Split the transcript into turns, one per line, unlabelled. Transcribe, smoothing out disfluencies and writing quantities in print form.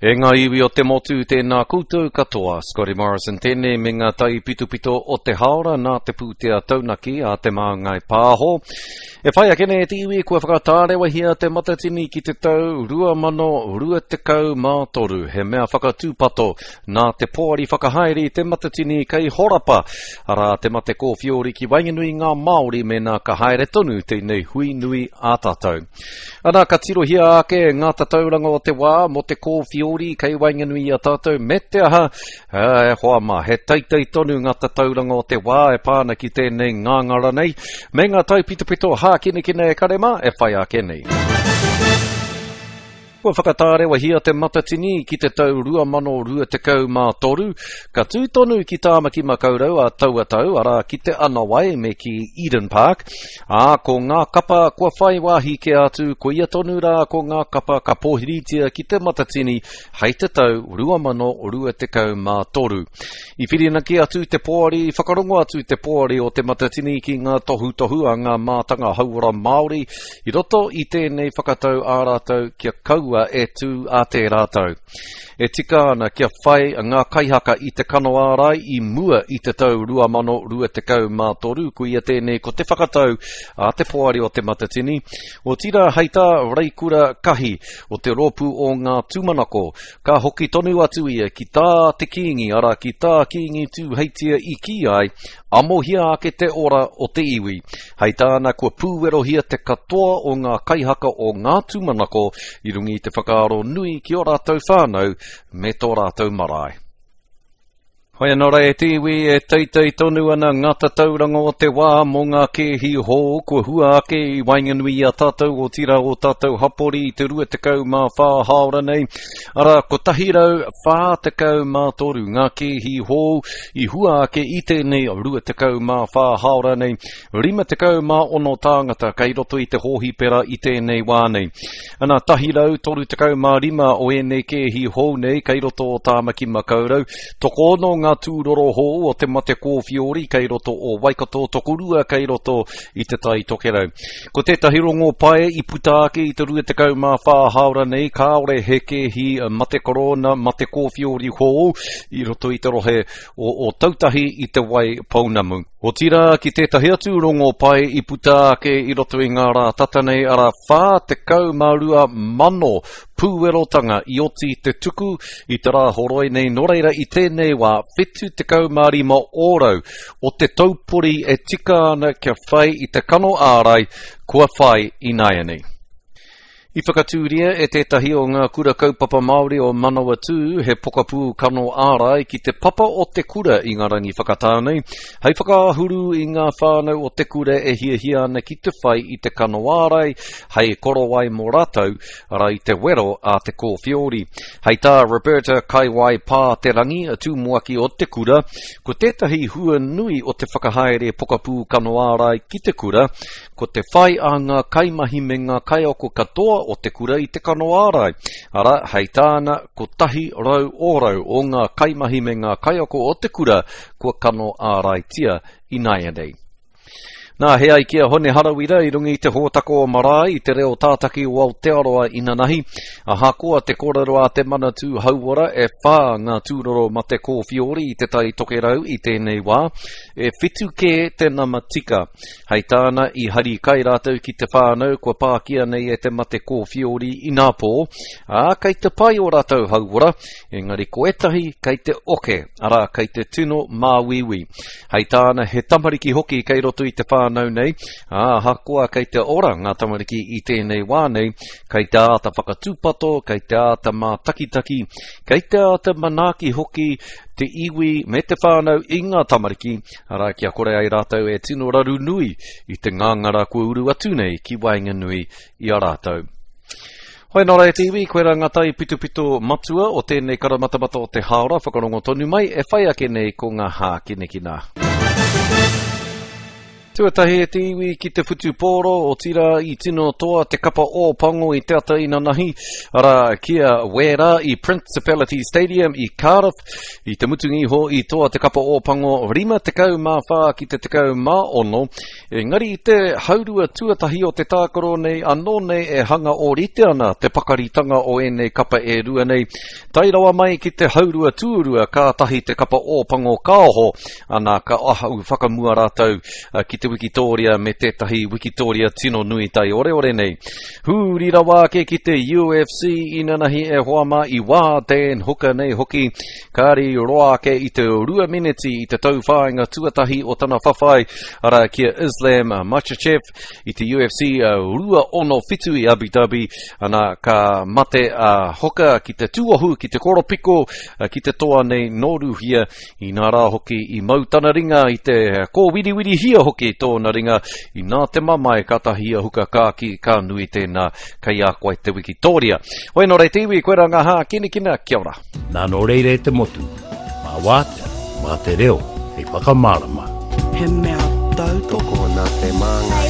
E ngā iwi o te motu, tēnā koutou katoa. Scotty Morrison tēnei me ngā taipitopito o te haora nā te pūtea taunaki a Te Māngai Pāho. E whai ake nei e te iwi kua whakatārewahia te Matatini ki te tau 2023, he mea whakatūpato nā te poari whakahaere i te Matatini kei horapa, arā te mate kōwhiori ki waenganui i ngā Māori mēnā ka haere tonu tēnei hui nui a tātou. Ana, ka tirohia ake ngā tatauranga o te wā mō te kōwhiori kei waenganui i a tātou, me te aha, e hoa mā, he teitei tonu ngā tatauranga o te wā e pā ana ki tēnei ngāngara nei, me ngā taipitopito hākinakina e kare mā e whai ake nei. Kua whakatārewahia te Matatini ki te tau 2023, ka tū tonu ki Tāmaki Makaurau a taua tau, arā ki Te Anawai me ki Eden Park, ā, ko ngā kapa kua whai wāhi kē atu, koia tonu rā ko ngā kapa ka pōhiritia ki te Matatini hei te tau 2023. I whirinaki atu te poari, i whakarongo atu te poari o Te Matatini ki ngā tohutohu a ngā mātanga hauora Māori i roto i tēnei whakatau ā rātou kia kaua e tū a tērā tau. E tika ana kia whai ngā kaihaka i te kano ārai i mua i te tau 2023, koia tēnei ko te whakatau a te poari o Te Matatini, otirā hei tā Reikura Kahi o te rōpū o Ngā Tūmanako, Ka hoki tonu atu ia ki tā te Kīngi, arā, ki tā Kīngi Tūheitia i kī ai, amohia ake te ora o te iwi. Hei tāna, kua pūwerohia te katoa o ngā kaihaka o Ngā Tūmanako i runga i te whakaaro nui ki ō rātou whānau me tō rātou marae. Hoi anō rā e te iwi, e teitei tonu ana ngā tatauranga o te wā mō ngā kēhi hou kua hua ake i waenganui i a tātou, otirā ō tātou hapori i te 24 hāora nei. Arā, 143 ngā kēhi hou i hua ake i tēnei 24 hāora nei. 56 tāngata kei roto i te hōhipera i tēnei wā nei. Ana, 135 o ēnei kēhi hou nei kei roto o Tāmaki Makaurau. Tokoono ngā tūroro hou o te mate kōwhiori kei roto o Waikato, tokorua kei roto i Te Tai Tokerau. Ko tētahi rongo pai i puta ake i te 24 hāora nei, kāore he kēhi mate korona, mate kōwhiori hou i roto i te rohe o Ōtautahi i Te Wai Pounamu. Otirā, ki tētahi atu rongo pai i puta ake i roto i ngā rā tata nei, arā 42,000 pūwerotanga i oti te tuku i te rā horoi nei, nō reira i tēnei wā 75 ōrau o te taupori e tika ana kia whai i te kano ārai kua whai ināianei. I whakatūria e tētahi o ngā kura kaupapa Māori o Manawatū he pokapū kano ārai ki te papa o te kura i ngā rangi whakatā nei, hei whakaahuru i ngā whānau o te kura e hiahia ana ki te whai i te kano ārai hei korowai mō rātou, arā i te wero a te kōwhiori. Hei tā Roberta Kaiwai Pā Te Rangi, tumuaki o te kura, ko tētahi hua nui o te whakahaere pokapū kano ārai ki te kura, Ko te whai a ngā kaimahi me ngā kaiako katoa o te kura i te kano ārai, arā, hei tāna, 100 ōrau o ngā kaimahi me ngā kaiako o te kura kua kano āraitia ināianei. Nā, he ai ki a Hone Harawira i runga i te hōtaka o Marae i te reo tātaki o Aotearoa inanahi, ahakoa te kōrero a te Manatū Hauora e whā ngā tūroro mate kōwhiori i Te Tai Tokerau i tēnei wā, e whitu kē te nama tika. Hei tāna, i hari kai rātou ki te whānau kua pākia nei e te mate kōwhiori inapō, ā, kei te pai ō rātou hauora, engari ko ētahi kei te oke, arā, kei te tino māuiui. Hei tāna, he tamariki hoki kei roto i te whānau nei, ā, ahakoa kei te ora ngā tamariki i tēnei wā nei, kei te āta whakatūpato, kei te āta mātakitaki, kei te āta manaaki hoki te iwi me te whānau i ngā tamariki, arā, kia kore ai rātou e tino raru nui i te ngāngara kua uru atu nei ki waenganui i a rātou. Hoi nō rā e te iwi, koirā ngā taipitopito matua o tēnei karamatamata o te hāora whakarongo tonu mai e whai ake nei ko ngā hākinakina. Tuatahi e te iwi ki te whutupōro, otirā i tino toa te kapa Ōpango i te ata inanahi, arā, ki a Wēra i Principality Stadium i Cardiff. I te mutunga iho i toa te kapa Ōpango 54 ki te 16, engari i te haurua tuatahi o te tākaro nei anō nei e hanga ōrite ana te pakaritanga o ēnei kapa e rua nei. Tae rawa mai ki te haurua tuarua kātahi te kapa Ōpango ka oho, ana ka ahau whakamua rātou ki te wikitōria me tētahi wikitōria tino nui taioreore nei. Hūri rawa ake ki te UFC inanahi e hoa mā i wā Dan Hooker nei hoki, kāri roa ake i te rua meneti i te tauwhāinga tuatahi o tana whawhai, arā ki a Islam Makhachev i te UFC 267 i Abu Dhabi, ana ka mate a Hooker ki te tuohu, ki te koropiko, ki te toa nei nō Rūhia Inā rā hoki i mau tana ringa i te kōwiriwirihia hoki tōna ringa, inā te mamae kātahi a Huka ka kī ka nui tēnā kei a koe te wikitōria. Hoi nō rei te iwi, koirā ngā hākinakina, kia ora.
Nā nō reira e te motu, mā wātea, mā te reo hei whakamārama.
He mea tautoko.
Tokona te māngai.